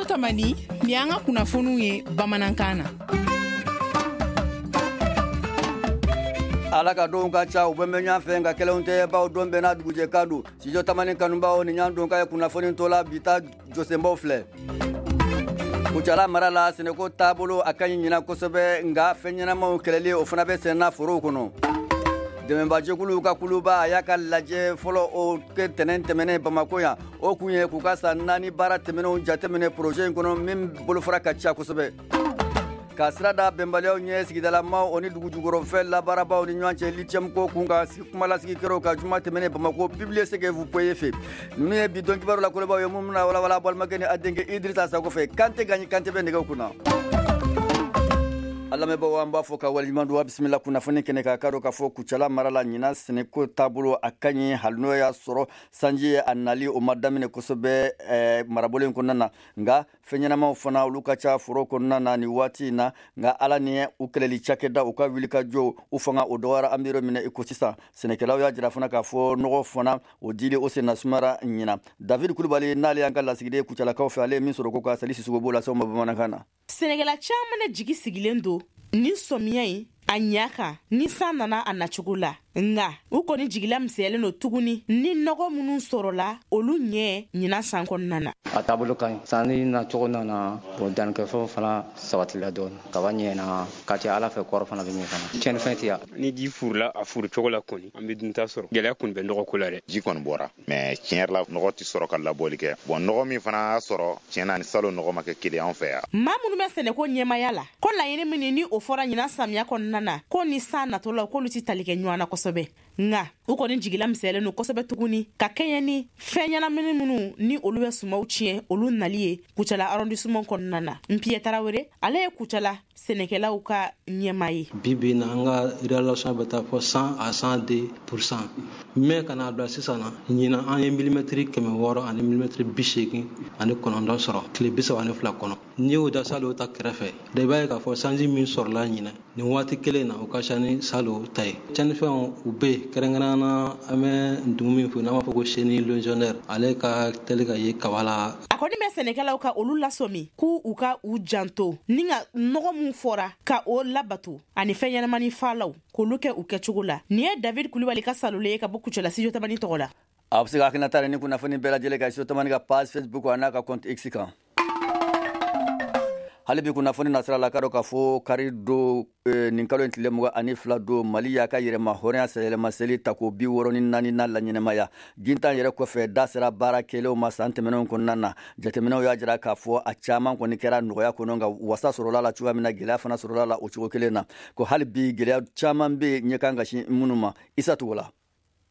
Tamani, nin y'an ka kunnafoniw ye bamanankan na. Ala ka donw ka ca, u bɛ mɛn ɲɔgɔn fɛ, nka kelenw tɛ, baw don bɛɛ n'a dugujɛ kan don. Studio Tamani kanubaw, nin y'an don ka ye kunnafoni tɔ la. Bi ta jɔsenbaw filɛ: Kucala mara la, sɛnɛko taabolo a ka ɲi ɲinan kosɛbɛ, nka fɛn ɲɛnamaw kɛlɛli, o fana bɛ senna forow kɔnɔ. Dɛmɛbajɛkuluw ka kuluba, a y'a ka lajɛ fɔlɔ o kɛ tɛnɛn tɛmɛnen Bamako yan. O kun ye k'u ka san 4 baara tɛmɛnenw jateminɛ projet in kɔnɔ, min bolofara ka ca kosɛbɛ. Ka sira da bɛnbaliyaw ɲɛ sigidalamaw, o ni dugu jukɔrɔfɛn labaarabaw ni ɲɔgɔn cɛ, lithium ko kun ka kumalasigi kɛra ka juma tɛmɛnen Bamako publier ce que vous pouvez fɛ. Ninnu ye bi don kibaru la kolobaw ye, mun bɛna walawala balimakɛ ni a denkɛ Idrissa Sako fɛ. Kante Gaɲi Kante bɛ nɛgɛw kunna. A lamɛnbagaw, an b'a fɔ ka waleɲuman dɔn. Bisimila kunnafoni kɛnɛ kan. K'a dɔn k'a fɔ Kucala mara la, ɲinan sɛnɛko taabolo a ka ɲi, hali n'o y'a sɔrɔ sanji ye a nali, o ma daminɛ kosɛbɛ marabolo in kɔnɔna na. Nka fɛn ɲɛnamaw fana, olu ka ca foro kɔnɔna na nin waati in na. Nka Ala ni u kɛlɛli cakɛda, u ka wulikajɔ, u fanga o dɔgɔyara. An bɛ yɔrɔ min na i ko sisan, sɛnɛkɛlaw y'a jira fana k'a fɔ nɔgɔ fana, o dili, o senna sumara ɲinan. David Kulubali n'ale y'an ka lasigiden Kucalakaw fɛ, ale ye min sɔrɔ ko ka Sali Sisoko b'o lase aw ma bamanankan na. Sɛnɛkɛla caman de jigi sigilen don ni sɔmiya in a ɲa kan, ni san nana a nacogo la. Nka u kɔni jigila misɛnyalen don tuguni ni nɔgɔ minnu sɔrɔla, olu ɲɛ ɲinan san kɔnɔna na. A taabolo ka ɲi, sanni nacogo nana bon, dannikɛfɛnw fana sabatila dɔɔni, kaba ɲɛna ka ca Ala fɛ, kɔrɔ fana bɛ ɲɛ fana, tiɲɛnifɛn tɛ yan. Ni ji furula a furu cogo la kɔni, an bɛ dunta sɔrɔ. Gɛlɛya kɔni bɛ nɔgɔ ko la dɛ. Ji kɔni bɔra, mais tiɲɛ yɛrɛ la, nɔgɔ tɛ sɔrɔ ka labɔli kɛ. Bon, nɔgɔ min fana y'a sɔrɔ, tiɲɛ na, ni salon nɔgɔ ma kɛ kelen anw fɛ yan. Maa minnu bɛ sɛnɛko ɲɛmaya la, ko laɲini min ni o fɔra ɲinan samiya kɔnɔna na, ko ni san natɔ la, k'olu ti tali kɛ ɲɔgɔn na kosɛbɛ. Nka u kɔni jigila misɛnyalen don kosɛbɛ tuguni ka kɛɲɛ ni fɛn ɲɛnamini minnu ni olu bɛ sumaw tiɲɛ, olu nali ye Kucala arrondissement kɔnɔna na. Npiyɛ Tarawele, ale ye Kucala sɛnɛkɛlaw ka ɲɛma ye. Bi bi na, an ka réalisation bɛ taa fɔ 100 à 102 %, mais ka n'a bila sisan na, ɲinan an ye milimɛtiri 600 ani milimɛtiri 89 sɔrɔ tile 32 kɔnɔ. N'i y'o da salon ta kɛrɛfɛ da, i b'a ye k'a fɔ sanji min sɔrɔla ɲinɛ nin waati kelen na, o ka ca ni salon ta ye. Tiɲɛnifɛnw, u bɛ yen, kɛrɛnkɛrɛnnenya na an bɛ ntumu min fɔ n'an b'a fɔ ko chenille légionnaire, ale ka teli ka ye kaba la. A kɔni bɛ sɛnɛkɛlaw ka olu lasɔmi k'u u ka u janto ni ka nɔgɔ mun fɔra ka o labato, ani fɛn ɲɛnamani falaw k'olu kɛ u kɛcogo la. Nin ye David Kulibali ka salolen ye ka bɔ Kucala Studio Tamani tɔgɔ la. A bɛ se ka hakilinata ni kunnafoni bɛɛ lajɛlen kan Studio Tamani ka page Facebook a n'a ka compte X kan. Hali bi kunnafoni nasira la, ka dɔn k'a fɔ kari don, nin kalo in tile 22 don, Mali y'a ka yɛrɛma hɔrɔnya sɛyɛlɛma seli tako 64 na laɲɛnɛmaya. Gintan yɛrɛ kɔfɛ, da sera baara kɛlenw ma san tɛmɛnenw kɔnɔna na. Jateminɛw y'a jira k'a fɔ a caman kɔni kɛra nɔgɔya kɔnɔ, nka wasa sɔrɔla la cogoya min na, gɛlɛya fana sɔrɔla la o cogo kelen na, ko hali bi gɛlɛya caman bɛ ɲɛ kan ka sin minnu ma. Isa Togola.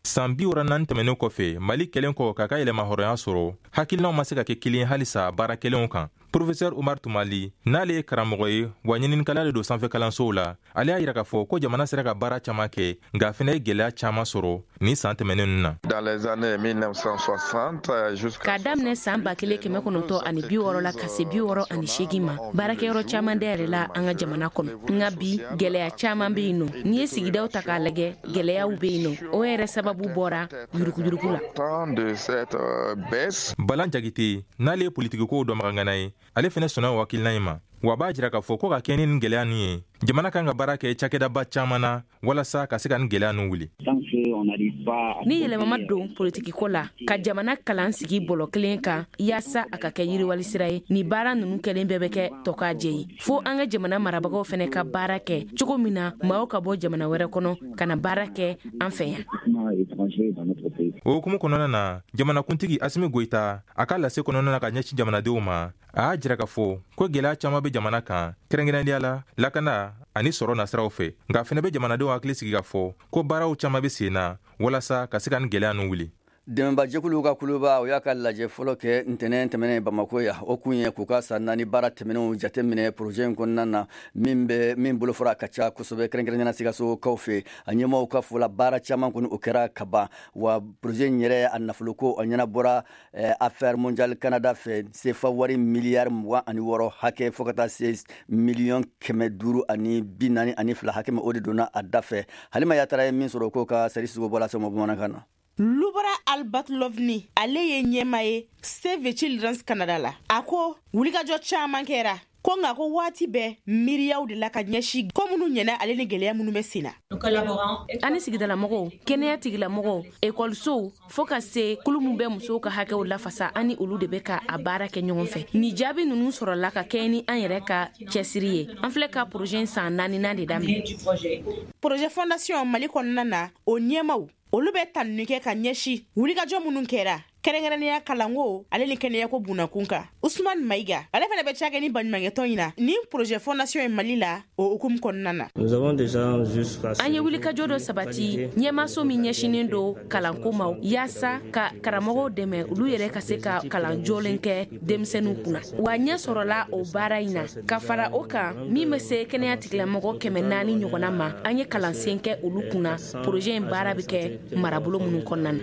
San 64 tɛmɛnen kɔfɛ, Mali kɛlen kɔ k'a ka yɛlɛma hɔrɔnya sɔrɔ, hakilinaw ma se ka kɛ kelen halisa baara kɛlenw kan. Professeur Umar Tumali, n'ale ye karamɔgɔ ye wa ɲininikɛla de don sanfɛ kalansow la, ale y'a yira k'a fɔ ko jamana sera ka baara caman kɛ, nka a fɛnɛ ye gwɛlɛya caaman sɔrɔ ni saan tɛmɛnen nu na. Dans les années 1960 K'a daminɛ saan 1960 la ka se 68 ma, baarakɛyɔrɔ caaman dayɛlɛla an ka jamana kɔnɔ. Nka bi, gwɛlɛya caaman be yen nɔ. N'i ye sigidaw ta k'a lajɛ, gwɛlɛyaw be yen nɔ. O yɛrɛ sababu bɔra yurukuyuruku la. Balan Jagite, n'ale ye politikikow dɔnbagangana ye, ale fɛnɛ sɔnna o hakilina in ma, wa b'a jira k'a fɔ ko ka kɛ ni nin gwɛlɛya nin ye, jamana kan ka baara kɛ cakɛdaba caaman na walasa ka se ka nin gwɛlɛya nin wuli. Ni yɛlɛma ma don politikiko la ka jamana kalan sigi bɔlɔ kelen kan yaasa a ka kɛ yiriwali sira ye, ni baara nunu kɛlen bɛɛ bɛ kɛ tɔkajɛ ye. Fo an ka jamana marabagaw fɛnɛ ka baara kɛ cogo min na maaw ka bɔ jamana wɛrɛ kɔnɔ ka na baara kɛ an fɛ yan. O hukumu kɔnɔna na, jamanakuntigi Asimi Goyita, a ka lase kɔnɔna na ka ɲɛsin jamanadenw ma, a y'a jira k'a fɔ ko gwɛlɛya caaman bɛ jamana kan, kɛrɛnkɛrɛnnenya la lakana ani sɔrɔ nasiraw fɛ. Nka fɛnɛ bɛ jamanadenw hakili sigi k'a fɔ ko baaraw caaman bɛ sen na walasa ka se ka nin gwɛlɛya ninnu wuli. Dɛmɛbajɛkuluw ka kuluba, o y'a ka lajɛ fɔlɔ kɛ ntɛnɛn tɛmɛnen Bamako yan. O kun ye k'u ka san 4 baara tɛmɛnenw jateminɛ projet in kɔnɔna na, min bɛ min bolofara ka ca kosɛbɛ, kɛrɛnkɛrɛnnenya Sikasokaw fɛ. A ɲɛmaaw ka fɔ la, baara caman kɔni, o kɛra ka ban, wa projet in yɛrɛ, a nafoloko, a ɲɛnabɔra Affaire mondiale Canada fɛ, sefa wari miliyari 26 hakɛ, fo ka taa se miliyɔn 542 hakɛ ma, o de donna a da fɛ. Halima Yatara ye min sɔrɔ ko ka Sari Sisoko bɔla sɛmɔ bamanankan na. Lubara Albatlovni, ale ye ɲɛma ye Save the Children's Canada la. A ko wulikajɔ caman kɛra ko nka ko waati bɛɛ miiriyaw de la ka ɲɛsin ko minnu ɲɛna ale ni gɛlɛya minnu bɛ sen na. Ani sigidalamɔgɔw, kɛnɛya tigilamɔgɔw, ekɔlisow, fo ka se kulu min bɛ musow ka hakɛw lafasa, ani olu de bɛ ka a baara kɛ ɲɔgɔn fɛ. Ni jaabi ninnu sɔrɔla ka kɛɲɛ ni an yɛrɛ ka cɛsiri ye. An filɛ ka projet san 4nan de daminɛ. Projet fondation Mali kɔnɔna na, o ɲɛmaw olu bɛ tanuni kɛ ka ɲɛsin wulikajɔ minnu kɛra kɛrɛnkɛrɛnnenya kalanko ale ni kɛnɛyako bunakun kan. Usman Mayiga, ale fana bɛ cakɛ ni baɲumankɛtɔn in na ni projet fondation ye Mali la o hukumu kɔnɔna na. An ye wulikajɔ dɔ sabati ɲɛmaso min ɲɛsinnen don kalanko ma, yaasa ka karamɔgɔw dɛmɛ olu yɛrɛ ka se ka kalan jɔlen kɛ denmisɛnninw kunna. Wa ɲɛ sɔrɔla o baara in na. Ka fara o kan, min bɛ se kɛnɛya tigilamɔgɔ 400 ɲɔgɔnna ma, an ye kalansen kɛ olu kunna projet in baara bɛ kɛ marabolo minnu kɔnɔna na.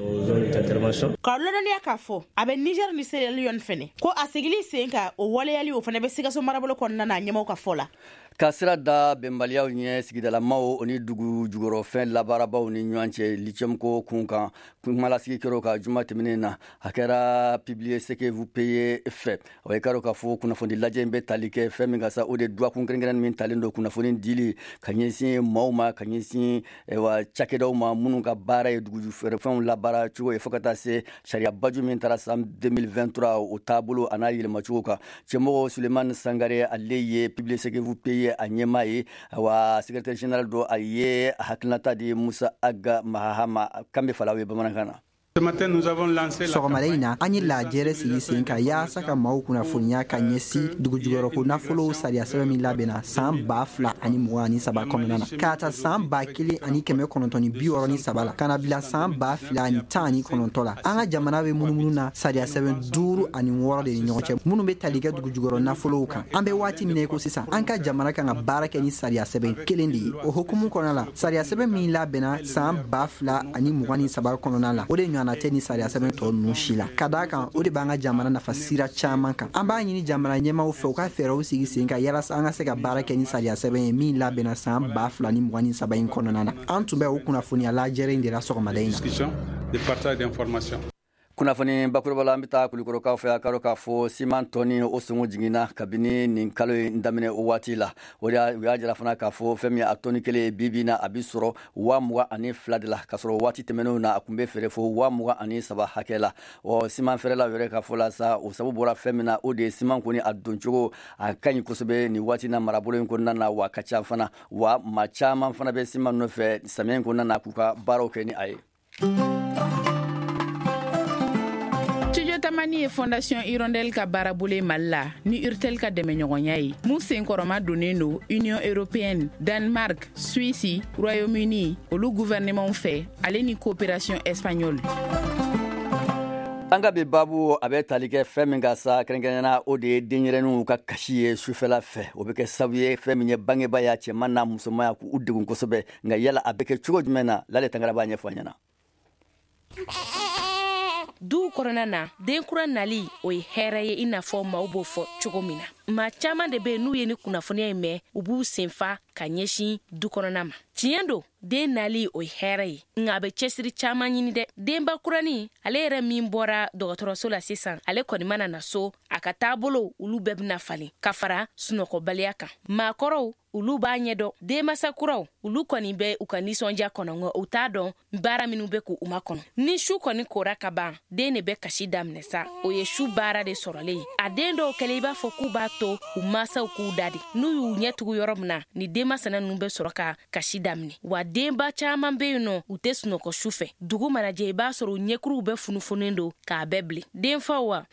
Ka lɔdɔnniya k'a fɔ a bɛ Niger ni Sierra Leone fɛnɛ ko a segili sen kan o waleyali o fana bɛ Sikaso marabolo kɔnɔna na ɲɛmaw ka fɔ la. Ka sira da bɛnbaliyaw ɲɛ sigidalamaw o ni dugu jukɔrɔfɛn labaarabaw ni ɲɔgɔn cɛ lithium ko kun kan, kumalasigi kɛra ka juma tɛmɛnen na, a kɛra Publiez ce que vous payez fɛ. O ye karo k'a fɔ kunnafoni lajɛ in bɛ tali kɛ fɛn min ka sa, o de dɔgɔkun kɛrɛnkɛrɛn min talen don kunnafoni dili ka ɲɛsin maaw ma, ka ɲɛsin wa cakɛdaw ma minnu ka baara ye dugujukɔrɔfɛnw labaara cogo ye, fo ka taa se sariya baju min taara san 2023 o taabolo a n'a yɛlɛmacogo kan. Cɛmɔgɔ Sulemani Sangare, ale ye Publiez ce que vous payez a ɲɛmaa ye, wa secrétaire général do, a ye hakilinata di Musa Aga Mahama kan bɛ falaw ye bamanankan na. Sɔgɔmada in na, an ye lajɛrɛ sigi sen kan yaasa ka maaw kunnafoniya ka ɲɛsin dugujukɔrɔko nafolow sariya sɛbɛn min labɛnna san 2023 kɔnɔna na, k'a ta san 1963 la ka na bila san 2019 la. An ka jamana bɛ munumunu na sariya sɛbɛn 5 ani 6 de ni ɲɔgɔn cɛ minnu bɛ tali kɛ dugujukɔrɔ nafolow kan. An bɛ waati min na i ko sisan, an ka jamana kan ka baara kɛ ni sariya sɛbɛn kelen de ye. O hukumu kɔnɔna la, sariya sɛbɛn min labɛnna san 2023 kɔnɔna la, o de ɲɔgɔnna tɛ ni sariya sɛbɛn tɔ ninnu si la. Ka d'a kan, o de b'an ka jamana nafa sira caman kan. An b'a ɲini jamana ɲɛmaaw fɛ u ka fɛɛrɛw sigi sen kan yalasa an ka se ka baara kɛ ni sariya sɛbɛn ye min labɛnna san 2023 in kɔnɔna na. An tun bɛ o kunnafoniya lajɛrɛ in de la sɔgɔmada in na. Kunnafoni bakuruba la, an bɛ taa Kulukɔrɔkaw fɛ. A karo k'a fɔ siman tɔni o sɔngɔ jiginna kabini nin kalo in daminɛ o waati la. O de u y'a jira fana k'a fɔ fɛn min a tɔni kelen bi bi na, a bɛ sɔrɔ 22,000 de la, k'a sɔrɔ waati tɛmɛnenw na a tun bɛ feere fo 23,000 hakɛ la. Ɔ siman feerelaw yɛrɛ ka fɔ la sa, o sababu bɔra fɛn min na, o de ye siman kɔni a doncogo a ka ɲi kosɛbɛ nin waati na marabolo in kɔnɔna na, wa ka ca fana, wa maa caman fana bɛ siman nɔfɛ samiya in kɔnɔna na k'u ka baaraw kɛ ni a ye. Tamani ye Fondation Hirondelle ka baarabolo Mali la ni Urtel ka dɛmɛɲɔgɔnya ye, mun senkɔrɔma donnen don Union européenne, Danemark, Suisse, Royaume-Uni olu gouvernement fɛ, ale ni coopération espagnole. An ka bi babu a bɛ tali kɛ fɛn min ka sa, kɛrɛnkɛrɛnnenya o de ye denyɛrɛninw ka kasi ye sufɛla fɛ. O bɛ kɛ sababu ye fɛn min ye bangebaa ya cɛman n'a musoman ya k'u degun kosɛbɛ. Nka yala a bɛ kɛ cogo jumɛn na? Lale Tangara b'a ɲɛfɔ an ɲɛna. Duw kɔnɔna na, den kura nali o ye hɛrɛ ye, i n'a fɔ maaw b'o fɔ cogo min na. Maa caman de bɛ yen, n'u ye ni kunnafoniya in mɛn, u b'u senfa ka ɲɛsin du kɔnɔna ma. Tiɲɛ don, den nali o ye hɛrɛ ye, nka a bɛ cɛsiri caman ɲini dɛ. Denba kuranin ale yɛrɛ min bɔra dɔgɔtɔrɔso la sisan, ale kɔni mana na so, a ka taabolo olu bɛɛ bɛna falen ka fara sunɔgɔbaliya kan. Maakɔrɔw olu b'a ɲɛdɔn, denmasa kuraw olu kɔni bɛ u ka nisɔndiya kɔnɔ, nka u t'a dɔn baara minnu bɛ k'u makɔnɔ. Ni su kɔni kora ka ban, den de bɛ kasi daminɛ sa, o ye su baara de sɔrɔlen ye. A den dɔw kɛlen i b'a fɔ k'u b'a to u masaw k'u da de, n'u y'u ɲɛ tugu yɔrɔ min na, ni denmasana ninnu bɛ sɔrɔ ka kasi daminɛ. Wa denba caman bɛ yen nɔ, u tɛ sunɔgɔ su fɛ. Dugu mana jɛ, i b'a sɔrɔ u ɲɛkuruw bɛɛ funufunnen don k'a bɛɛ bilen. Denfaw wa,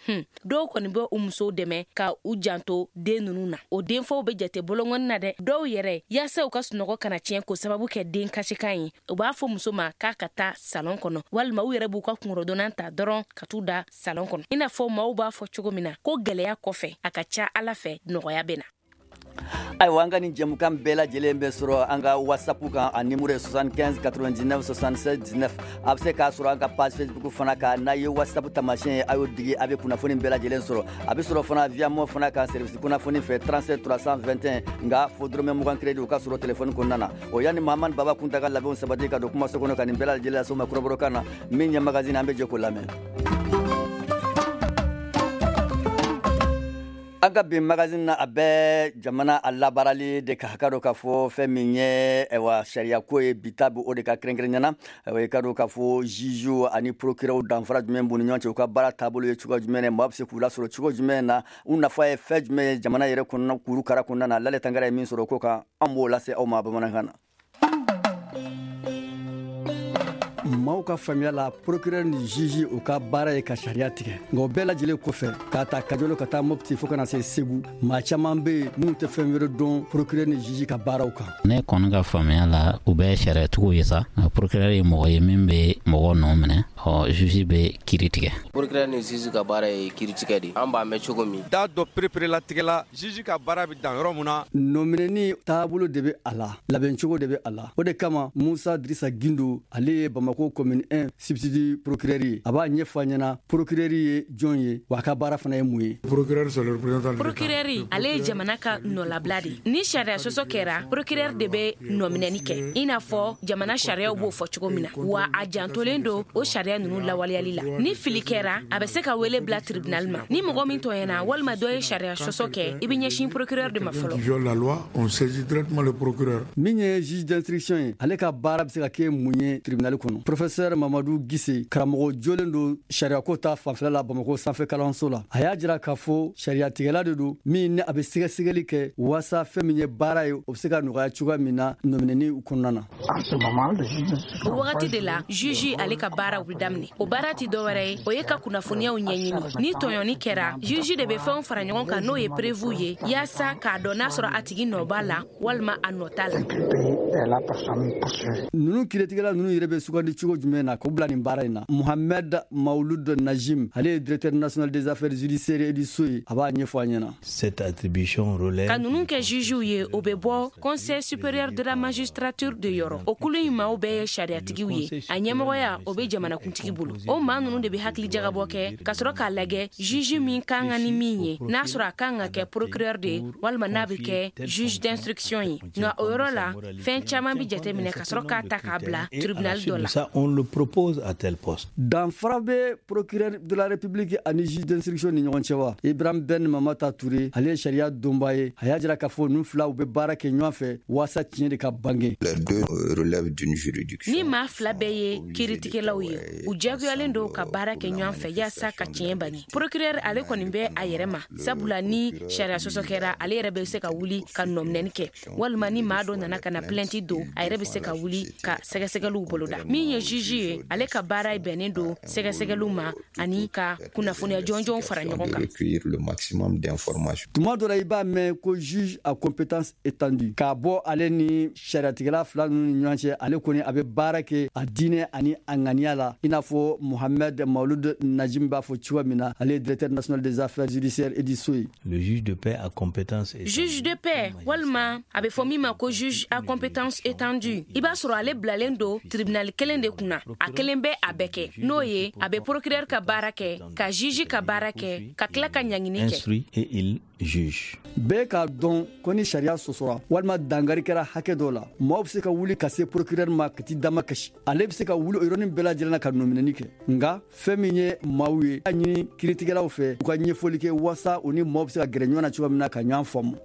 dɔw kɔni bɛ u musow dɛmɛ ka u janto den ninnu na. O denfaw bɛ jate bolonkɔni na dɛ. Dɔw yɛrɛ, yaasa u ka sunɔgɔ kana tiɲɛ k'o sababu kɛ den kasikan ye, u b'a fɔ muso ma k'a ka taa salon kɔnɔ, walima u yɛrɛ b'u ka kungorodɔnnan ta dɔrɔn ka t'u da salon kɔnɔ. I n'a fɔ maaw b'a fɔ cogo min na ko gɛlɛya kɔfɛ, a ka ca Ala fɛ nɔgɔya bɛ na. Ayiwa, an ka nin jɛmukan bɛɛ lajɛlen bɛ sɔrɔ an ka WhatsApp kan, a numéro ye 75 99 76 19. A bɛ se k'a sɔrɔ an ka page Facebook fana kan. N'a ye WhatsApp taamasiyɛn ye, a y'o digi, a bɛ kunnafoni bɛɛ lajɛlen sɔrɔ. A bɛ sɔrɔ fana via Moov fana kan, service kunnafoni fɛ, 37 321, nka fo dɔrɔmɛ 20 crédit o ka sɔrɔ téléphone kɔnɔna na. O yanni Mahamani Baba Kunta ka labɛnw sabati ka don kumaso kɔnɔ ka nin bɛɛ lajɛlen lase ma kɔrɔbɔrɔkan na, min ye magazine, an bɛ jɛ k'o lamɛn. An ka bi magazine na, a bɛ jamana a labaarali de kan. Ka dɔn k'a fɔ fɛn min ye, ayiwa, sariyako ye, bi ta bɛ o de ka kɛrɛnkɛrɛnyana. Ayiwa, i ka dɔn k'a fɔ juge ani procureur, danfara jumɛn b'u ni ɲɔgɔn cɛ? U ka baara taabolo ye cogoya jumɛn ye? Maa bɛ se k'u lasɔrɔ cogo jumɛn na? U nafa ye fɛn jumɛn ye jamana yɛrɛ kɔnɔna kurukara kɔnɔna na? Lale Tangara ye min sɔrɔ o ko kan, an b'o lase aw ma bamanankan na. Maaw ka faamuya la, procureur ni juge, u ka baara ye ka sariya tigɛ. Nka o bɛɛ lajɛlen kɔfɛ, k'a ta Kajolo ka taa Mopti fo kana se Segu, maa caman bɛ yen minnu tɛ fɛn wɛrɛ dɔn procureur ni juge ka baaraw kan. Ne kɔni ka faamuya la, u bɛ sariyatigiw ye sa. Procureur ye mɔgɔ ye min bɛ mɔgɔ nɔ minɛ, ɔ juge bɛ kiiri tigɛ. Procureur ni juge ka baara ye kiiri tigɛ de, an b'a mɛn cogo min. Da dɔ pereperelatigɛla, juge ka baara bɛ dan yɔrɔ mun na. Nɔminɛni taabolo de bɛ a la, labɛncogo de bɛ a la. O de kama, Musa Dirisa Gindo, ale ye Bamako commune 1 substitut procureur ye, a b'a ɲɛfɔ an ɲɛna procureur ye jɔn ye, wa a ka baara fana ye mun ye. Procureur, c'est le représentant. Procureur, ale ye jamana ka nɔlabila de. Ni sariya sɔsɔ kɛra, procureur de bɛ nɔminɛni kɛ, i n'a fɔ jamana sariyaw b'o fɔ cogo min na, wa a jantolen don o sariya ninnu lawaleyali la. Ni fili kɛra, a bɛ se ka wele bila tribunal ma. Ni mɔgɔ min tɔɲɛna walima dɔ ye sariya sɔsɔ kɛ, i bɛ ɲɛsin procureur de ma fɔlɔ. Viole la loi, on saisit directement le procureur. Min ye juge d'instruction ye, ale ka baara bɛ se ka kɛ mun ye tribunal kɔnɔ? Professeur Mamadu Gise, karamɔgɔ jolen don sariyako ta fanfɛla la Bamako sanfɛ kalanso la, a y'a jira k'a fɔ sariyatigɛla de don min ni a bɛ sɛgɛsɛgɛli kɛ waasa fɛn min ye baara ye, o bɛ se ka nɔgɔya cogoya min na nɔminɛni kɔnɔna na. O wagati de la, juge ale ka baaraw bɛ daminɛ. O baara tɛ dɔwɛrɛ ye, o ye ka kunnafoniyaw ɲɛɲini. Ni tɔɲɔni kɛra, juge de bɛ fɛnw fara ɲɔgɔn kan, n'o ye preuve ye, yaasa k'a dɔn n'a sɔrɔ a tigi nɔ b'a la walima a nɔ t'a la. Ninnu kiiritigɛla ninnu yɛrɛ bɛ sugandi cogo jumɛn na k'u bila nin baara in na? Mohamed Maouloud Najim, ale ye directeur national des affaires judiciaires et du sceau ye, a b'a ɲɛfɔ an ɲɛna. Cette attribution relève Ka ninnu kɛ jugew ye, o bɛ bɔ Conseil supérieur de la magistrature de yɔrɔ. O kulu in maaw bɛɛ ye sariyatigiw ye, a ɲɛmɔgɔya o bɛ jamanakuntigi bolo. O maa ninnu de bɛ hakili jagabɔ kɛ ka sɔrɔ k'a lajɛ juge min kan ka ni min ye, n'a sɔrɔ a kan ka kɛ procureur de ye walima n'a bɛ kɛ juge d'instruction ye. Nka o yɔrɔ la, fɛn caman bɛ jateminɛ ka sɔrɔ k'a ta k'a bila tribunal dɔ la. Ça, on le propose à tel poste. Danfara bɛ procureur de la République ani juge d'instruction ni ɲɔgɔn cɛ wa? Ibrahim Ben Mamata Touré, ale ye sariya donba ye, a y'a jira k'a fɔ ninnu fila u bɛ baara kɛ ɲɔgɔn fɛ waasa tiɲɛ de ka bange. Les deux relèvent d'une juridiction. Ni maa fila bɛɛ ye kiiritigɛlaw ye, u jagoyalen don ka baara kɛ ɲɔgɔn fɛ yaasa ka tiɲɛ bange. Procureur, ale kɔni bɛ a yɛrɛ ma, sabula ni sariya sɔsɔ kɛra, ale yɛrɛ bɛ se ka wuli ka nɔminɛni kɛ, walima ni maa dɔ nana ka na plainte don, a yɛrɛ bɛ se ka wuli ka sɛgɛsɛgɛliw boloda. Min ye juge ye, ale ka baara bɛnnen don sɛgɛsɛgɛliw ma ani ka kunnafoniya jɔnjɔnw fara ɲɔgɔn kan. Recueillir le maximum d'informations. Tuma dɔ la, i b'a mɛn ko juge à compétence étendue. K'a bɔ ale ni sariyatigɛla fila ninnu ni ɲɔgɔn cɛ, ale kɔni a bɛ baara kɛ a diinɛ ani a ŋaniya la, i n'a fɔ Mohamed Maouloud Najim b'a fɔ cogoya min na, ale ye directeur national des affaires judiciaires et du sceau ye. Le juge de paix à compétence étendue. Juge de paix walima a bɛ fɔ min ma ko juge à compétence étendue, i b'a sɔrɔ ale bilalen don tribunal kelen de kunna, a kelen bɛ a bɛɛ kɛ, n'o ye a bɛ procureur ka baara kɛ, ka juge ka baara kɛ, ka tila ka ɲangini kɛ. Instruit et il juge. Bɛɛ k'a dɔn ko ni sariya sɔsɔra walima dangari kɛra hakɛ dɔ la, maaw bɛ se ka wuli ka se procureur ma ka t'i dama kasi. Ale bɛ se ka wuli o yɔrɔnin bɛɛ lajɛlen na ka nɔminɛni kɛ. Nka fɛn min ye maaw ye, a ɲini kiiritigɛlaw fɛ u ka ɲɛfɔli kɛ waasa u ni maaw bɛ se ka gɛrɛ ɲɔgɔn na cogoya min na ka ɲɔgɔn faamu.